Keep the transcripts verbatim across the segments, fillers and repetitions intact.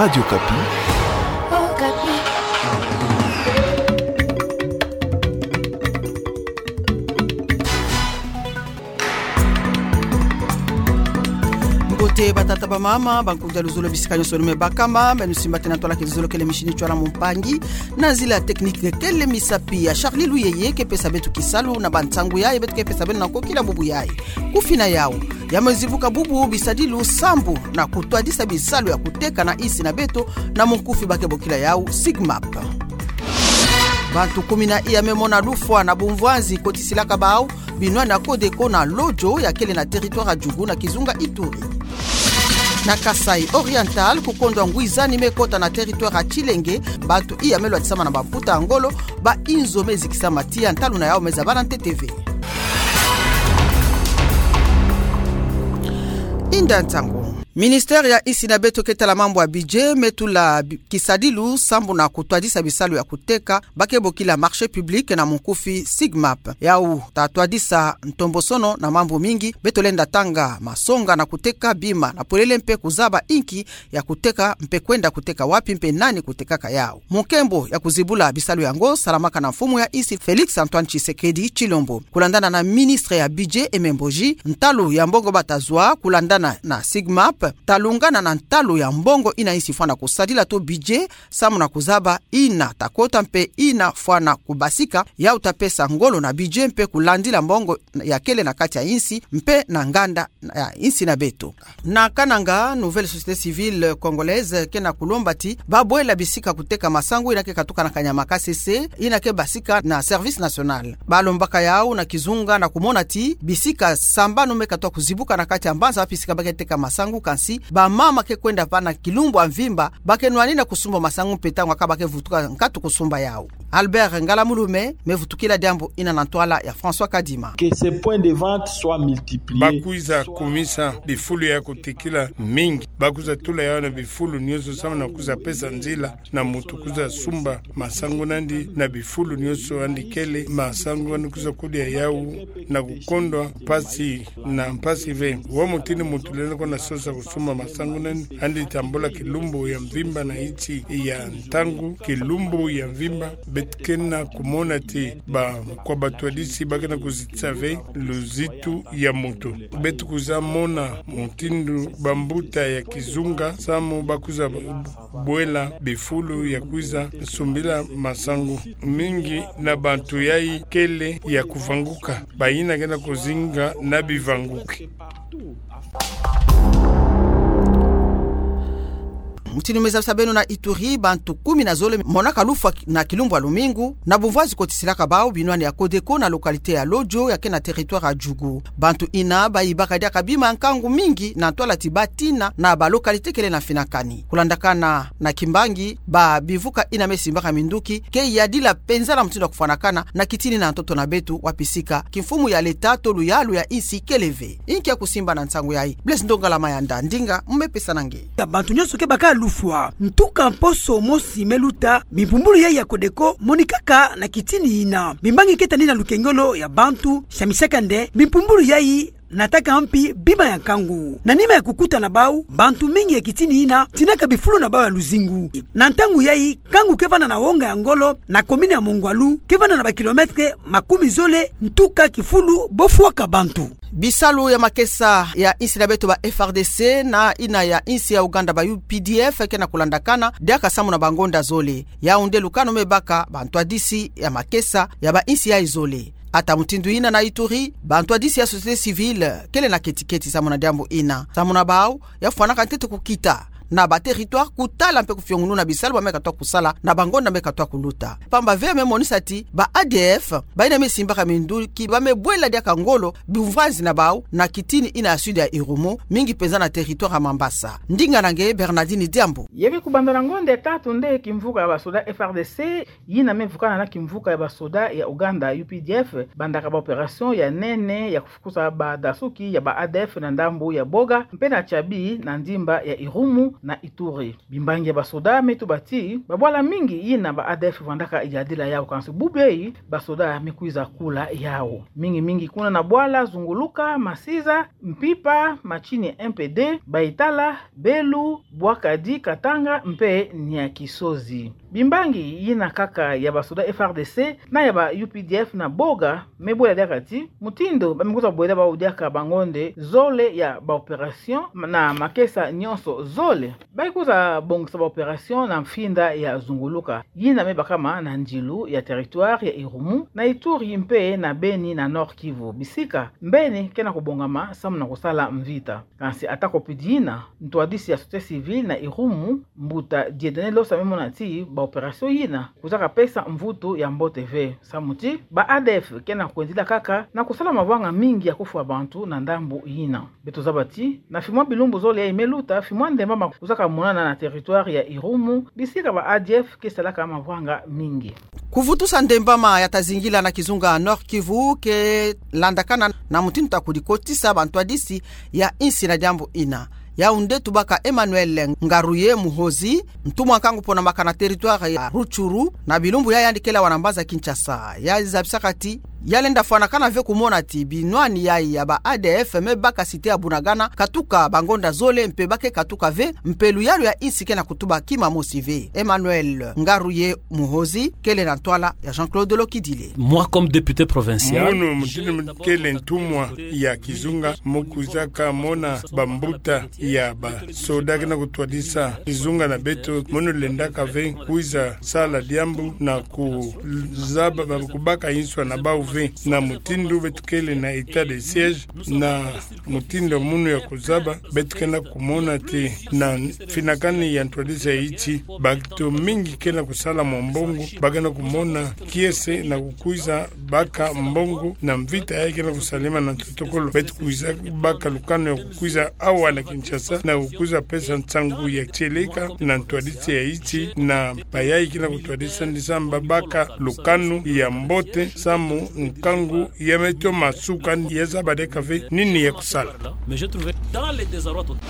Radio Okapi. Mbote batata bamama, bankundi ya luzolo, bisika nyonso nu me bakama, meno simba tena twala ke luzolo kele mishini chwala mumpangi, na zila technique kele misapi ya Charlie Luyeye ke pesa beto kisalu na bansangu yayi beto ke pesa beno na kokila bubu yayi. Kufina yawu, ya me zibuka bubu bisadilu sambu na kutwadisa bisalu ya kuteka na insi na beto na munkufi ba ke bokila yawu SIGMAP. Bantu kumi na iya me mona lufwa na bumvwanzi kotisilaka bawu binwani ya Codeco na Lodjo ya kele na territoire ya Djugu na kizunga Ituri. Na Kasaï Oriental, kukondwa ngwizani me kota na territoire ya Tshilenge, bantu iya me lwatisama na bamputa ya ngolo, ba inzo me zikisama, tiya ntalu na yawu me zabana ntete ve. Inda nsangu. Ministère ya insi na beto ke tala mambu ya budget me tula bi-, kisadilu sambu na kutwadisa bisalu ya kuteka, ba ke bokila marché public na munkufi SIGMAP. Yawu ta twadisa ntombosono na mambu mingi, beto lenda tanga masonga na kuteka bima na polele mpe kuzaba inki ya kuteka mpe kwenda kuteka wapi mpe nani kutekaka yawu. Munkembo ya kuzibula bisalu yango salamaka na mfumu ya insi Félix Antoine Tshisekedi Tshilombo. Kulandana na ministre ya budget Aimé Mboji, ntalu ya mbongo ba ta zwa kulandana na SIGMAP ta lungana na ntalu ya mbongo ina insi fwana kusadila to budget, samu na kuzaba ina ta kota mpe ina fwana kubasika, yawu ta pesa ngolo na budget mpe kulandila mbongo ya kele na kati ya insi mpe na nganda ya insi na beto. Na Kananga, Nouvelle Société Civile Congolaise ke na kulomba ti ba bwela bisika kuteka masangu ina ke katuka na kanyama kasese, ina ke basika na Service National. Ba lombaka yawu na kizunga na kumona ti bisika sambanu me katwa kuzibuka na kati ya mbanza wapi bisika ba ke teka masangu, kansi bamama ke kwenda pa na kilumbu ya mvimba, ba ke nwanina kusumba masangu mpe ntangu akaka ba ke vutuka nkatu kusumba yawu. Albert Ngalamulume me vutukila diambu ina na ntwala ya François Kadima. Que ces points de vente soient multipliés. Ba kwiza kumisa bifulu ya kutekila mingi. Ba kwiza tula yawu na bifulu nyonso samu na kwiza pesa nzila na muntu kwiza sumba masangu nandi na bifulu nyonso andi kele, masangu andi kwiza kudia yawu na kukondwa mpasi na mpasi ve. Wa mutindu muntu lenda kwenda sosa kusumba masangu nandi, andi tambula kilumbu ya mvimba na insi ya ntangu, kilumbu ya mvimba, beto ke na kumona ti ba, kwa batwadisi ba ke na kuzitisa ve luzitu ya muntu. Beto kwiza mona mutindu bambuta ya kizunga samu ba kwiza bwela bifulu ya kwiza sumbila masangu. Mingi na bantu yayi kele ya kuvanguka, bayina ke na kuzinga na bivanguki. Mutindu me zabisa beno na Ituri, bantu kumi na zole monaka lufwa na kilumbu ya lumingu na bumvwanzi kotisilaka bawu binwani ya Codeco na localité ya Lodjo ya ke na territoire ya Djugu. Bantu ina ba yibaka diaka bima ya nkangu mingi na ntwala ti ba tina na ba localité kele na mfinakani. Kulandakana na kimbangi, ba bivuka ina me simbaka minduki ke yadila mpenza na mutindu ya kufwanakana na kitini na ntoto na beto, wapi sika kimfumu ya leta to luyalu ya insi kele ve. Inki ya kusimba na nsangu yayi? Blaise Ndongala Mayanda, ndinga mu me pesa na nge. Ya bantu nyonso ke baka lufwa. Ntuka mposo mosi me luta, bimpumbulu yayi ya Codeco monikaka na kitini ina. Bimbangi ke tani na lukengolo ya bantu, samisaka nde bimpumbulu yayi nataka mpi bima ya nkangu. Na nima ya kukuta na bawu, bantu mingi ya kitini ina tinaka bifulu na bawu ya luzingu. Na ntangu yayi, nkangu ke vanda na wonga ya ngolo na commune ya Mongwalu, ke vanda na ba kilomètre makumi zole ntuka kifulu bo fwaka bantu. Bisalu ya makesa ya insi na beto ba F R D C na ina ya insi ya Ouganda ba U P D F ke na kulandakana diaka samu na bangonda zole. Yawu nde lukanu me baka bantwadisi ya makesa ya ba insi yayi zole. Ata mutindu ina na Ituri, bantwadisi ya société civile kele na keti-keti samu na diambu ina. Samu na bawu, ya fwanaka ntete kukita na ba territoire kutala mpe kufiongununa bisalu ba me katwa kusala na bangonda me katwa kuluta. Pamba ve ya me monisa ti ba A D F, bayina me simbaka minduki, ba me bwela diaka ngolo bumvwanzi na bawu na kitini ina ya sud ya Irumu, mingi mpenza na territoire ya Mambasa. Ndinga na nge Bernardine Diambu. Ya ke kubanda na ngonda ya tatu nde kimvuka ya basoda F R D C, yina me vukana na kimvuka ya basoda ya Ouganda, U P D F, bandaka ba opération ya nene ya kufukusa badasuki ya ba A D F na ndambu ya Boga, mpe na Tiabi na ndimba ya Irumu, na Ituri. Bimbangi ya basoda me tuba ti babwala mingi yina ba A D F vandaka yadila yau, kansi bubu yai basoda me kwiza kula yau. Mingi mingi kuna na bwala zunguluka Masiza, Mpimpa, Matshini, M P D, Baitala, Belu, Bwakadi, Katanga mpe Niakisozi. Bimbangi yina kaka ya basoda F R D C na ya ba U P D F na boga me bwela diaka ti mutindu ba me kwiza bwela bau diaka bangonde zole ya ba opération na makesa nyonso zole. Ba kwiza bongisa ba opération na mfinda ya zunguluka yina me bakama na ndilu ya territoire ya Irumu, na Ituri mpe na Beni na Nord-Kivu. Bisika mbeni ke na kubongama samu na kusala mvita. Kansi ata kupidi yina, ntwadisi ya société civile na Irumu, mbuta Dieudonné Losa, me mona ti ba opération yina kwizaka pesa mvutu ya mbote ve, samu ti ba A D F ke na kwendila kaka na kusala mavanga mingi ya kufwa bantu na ndambu yina. Beto zaba ti na fimwa bilumbu zole yai me luta, fimwa ndembama kwizaka monana na territoire ya Irumu, bisika ba A D F ke salaka mavanga mingi. Kuvutusa ndembama ya ta zingila na kizunga Nord-Kivu ke landakana na mutindu ta kudikotisa bantwadisi ya insi na diambu yina. Yaoundé tubaka Emmanuel Ngaruye Muhozi, ntumwa nkangu pona maka na territoire ya Rutshuru, na bilumbu ya yandi kele awa na mbanza Kinshasa. Ya zabisaka ti ya lenda fwanakana ve kumona ti binwani yai ya ba A D F me baka cité ya Bunagana katuka bangonda zole mpe ba ke katuka ve, mpe luyalu ya insi ke na kutuba kima mosi ve. Emmanuel Ngaruye Muhozi kele na ntwala ya Jean-Claude Lokidile. Moi, comme député provincial, munu mutindu kele ntumwa ya kizunga, mu kwizaka mona bambuta ya basoda ke na kutwadisa kizunga na beto, munu lendaka ve kwiza sala diambu na kuzaba, ba kubaka inswa na bau ve, na mutindu beto kele na état de siège, na mutindu munu ya kuzaba, beto ke na kumona ti na finakani ya ntwadisi ya iti, bato mingi ke na kusala mwa mbongo, ba ke na kumona kiese na kukwiza baka mbongo na mvita yai ke na kusalema na ntotokolo. Beto kwiza baka lukanu ya kukwiza awa na Kinshasa na kukwiza pesa nsangu ya tieleka na ntwadisi ya iti, na bayai ke na kutwadisa ndisa mba baka lukanu ya mbote, samu nkangu ya me toma suka, ya zaba diaka ve nini ya kusala. Mais je trouve dans le désarroi total.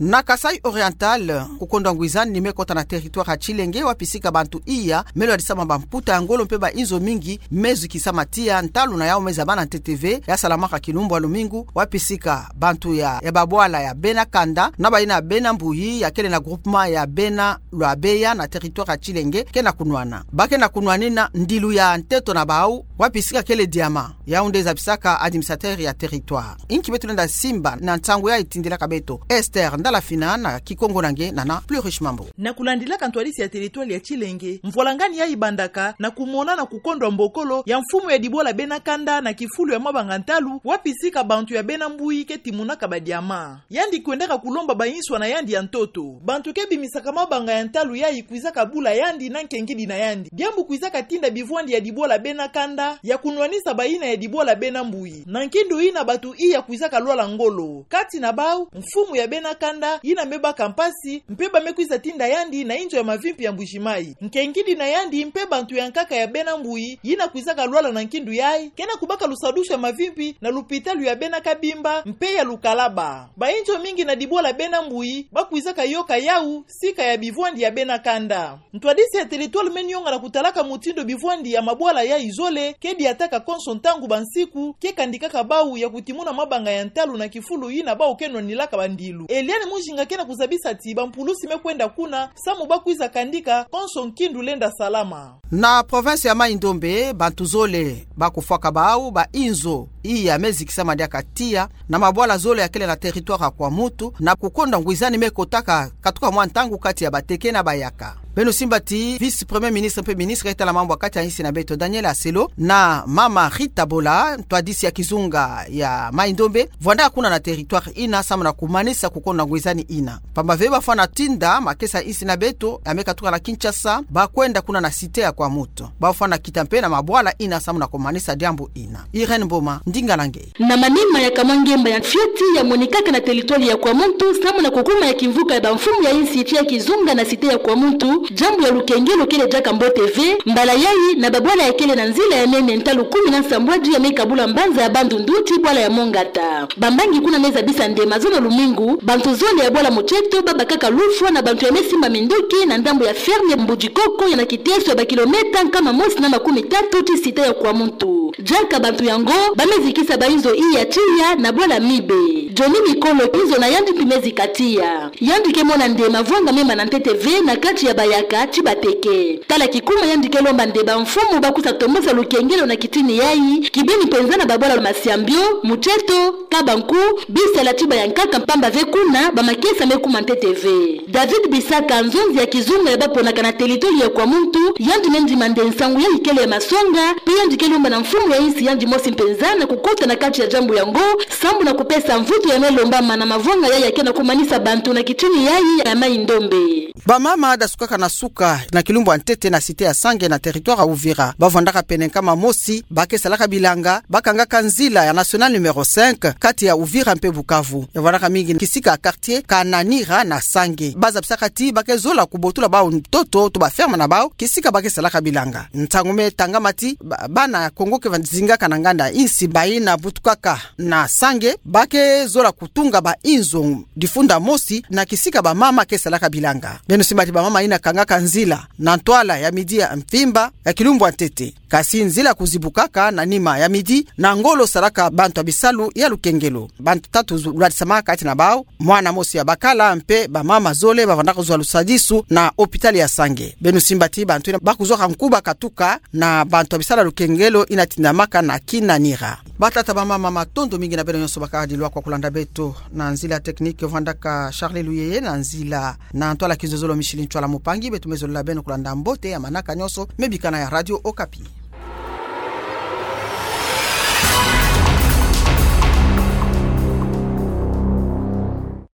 Na Kasaï Oriental, kukondwa ngwizani ni me kota na territoire ya Tshilenge, wapi sika bantu iya me lwadisama bamputa ya ngolo mpe bainzo mingi me zikisama tiya, ntalu na yau me zabana ntete ve, ya salamaka kilumbu ya lumingu, wapi sika bantu ya, ya babwala ya Bena Kanda na bayina Bena Mbuyi, ya kele na groupement ya Bena Lwabeya na territoire ya Tshilenge, ke na kunwana. Ba ke na kunwanina ndilu ya nteto na bau, wapi sika kele diama. Yaoundé zabisaka administrateur ya territoire. Inki beto lenda simba na nsangu yai tindilaka beto? Esther Ndalafina na Kikongo na nge Nana Plus Riche Mambu. Na kulandilaka ntwadisi ya territoire ya Tshilenge, mvwalangani yai bandaka na kumona na kukondwa mbokolo ya mfumu ya dibwala Bena Kanda na kifulu ya mabanga ntalu, wapi sika bantu ya Bena Mbuyi ke timunaka badiama. Yandi kwendaka kulomba bainswa na yandi ya ntoto. Bantu ke bimisaka mabanga ya ntalu yai kwizaka bula yandi na nkengidi na yandi. Diambu kwizaka tinda bivwandi ya dibwala Bena Kanda ya kunwanisa bayina ya dibwala Bena Mbuyi. Na nkindu yina bantu iya kwizaka lwala ngolo. Kati na bau, mfumu ya Bena Kanda, yina me baka mpasi, mpe ba me kwiza tinda yandi na inzo ya mavimpi ya Mbuji-Mayi. Nkengidi na yandi mpe bantu ya nkaka ya Bena Mbuyi, yina kwizaka lwala na nkindu yai, ke na kubaka lusadusu ya mavimpi na lupitalu ya Bena Kabimba mpe ya Lukalaba. Bainzo mingi na dibwala Bena Mbuyi ba kwizaka yoka yau sika ya bivwandi ya Bena Kanda. Ntwadisi ya territoire me nionga na kutalaka mutindu bivwandi ya mabwala yai zole ke diataka konso ntangu bansiku, ke kandikaka bau ya kutimuna mabanga ya ntalu na kifulu yina bau ke nwanilaka bandilu. Eliane Mujinga ke na kuzabisa ti bampulusi me kwenda kuna, samu ba kwiza kandika konso nkindu lenda salama. Na province ya Maï-Ndombe, bantu zole ba kufwaka bau, bainzo iya me zikisama diaka tiya, na mabwala zole ya kele na territoire ya Kwamouth, na kukondwa ngwizani me kotaka katuka mwa ntangu kati ya Bateke na Bayaka. Beno simba ti vice-premier ministre mpe ministre ya tala mambu ya kati ya insi na beto Daniel Aselo na mama Rita Bola, ntwadisi ya kizunga ya Maï-Ndombe, vwandaka kuna na territoire yina samu na kumanisa kukondwa ngwizani yina. Pamba ve ba fwana tinda makesa ya insi na beto ya me katuka na Kinshasa, ba kwenda kuna na cité ya Kwamouth. Ba fwana kita mpe na mabwala yina samu na kumanisa diambu yina. Irène Mboma, Ndinga na nge. Na manima ya kamwa ngemba ya fioti yamonikaka na territoire ya Kwamuntu, samu na kukuma ya kimvuka ya bamfumu ya insi tia kizunga na cité ya Kwamuntu, jambu ya lukengelo kele diaka mbote ve, mbala yayi, na babwala ya kele na nzila ya nene ntalu kumi na nsambwadi ya me kabula mbanza ya Bandundu ti bwala ya Mongata. Bambangi kuna me zabisa nde mazono lumingu, bantu zole ya bwala Mutieto babakaka lufwa na bantu ya me simba minduki na ndambu ya ferme Mbudikoko ya na kiteso ya bakilometa nkama mosi na makumi tatu ti cité ya Kwamuntu. Diaka bantu yango, ba me zikisa bainzo iya tiya na bwala Mibe. Johnny Mikolo, inzo na yandi mpi me zika tiya. Yandi ke mona nde mavwanga me ma na ntete ve na kati ya bayaka ti bateke. Tala kikuma yandi ke lomba nde bamfumu ba kusa tombosa lukengelo na kitini yayi, kibeni mpenza na babwala Masiambio, Mutieto, Kabanku, Bisala ti bayankaka mpamba ve kuna, ba makesa me kuma ntete ve. David Bisaka, nzonzi ya kizunga ya baponaka na territoire ya Kwamuntu, yandi me ndima nde nsangu yayi kele ya masonga, mpe yandi ke lomba na mfumu ya insi yandi mosi mpenza na kukota na kati ya jambu yango, sambu na kupesa mvutu ya me lombama na mavwanga yayi ya ke na kumanisa bantu na kitini yayi ya Mayi Ndombe. Bamama dasukaka na suka na kilumbu ya ntete na cité ya Sange na territoire ya Uvira. Ba vwandaka pene nkama mosi, ba ke salaka bilanga, ba kangaka nzila ya nationale numéro cinq, kati ya Uvira mpe Bukavu. Ya vwandaka mingi kisika quartier Kananira na Sange. Ba zabisaka ti ba ke zola kubotula bawu ntoto to ba ferme na bawu, kisika ba ke salaka bilanga. Ntangu me tangama ti ba-, bana Kongo ke va zingaka na nganda insi bayi na butukaka na Sange, ba ke zola kutunga bainzo difunda mosi na kisika bamama ke salaka bilanga. Beno simba ti bamama yina kangaka nzila na ntwala ya midi ya mvimba ya kilumbu ya ntete. Kasi nzila kuzibukaka na nima ya midi na ngolo salaka bantu ya bisalu ya lukengelo. Bantu tatu zu-, lwadisamaka kati na bawu, mwana mosi ya bakala mpe bamama zole ba vwandaka zwa lusadisu na hôpital ya Sange. Beno simba ti bantu yina ba kuzwaka nkuba katuka na bantu ya bisalu ya lukengelo yina tindamaka na Kinanira. Batata, bamama, matondo mingi na beno nyonso ba kadi lwakwa kulanda beto. Na nzila technique vwandaka Charles Luyeye, na nzila na ntwala kizololo Micheline Ntwala Mupangi. Beto me zolila beno kulanda mbote ya manaka nyonso me bikana ya Radio Okapi.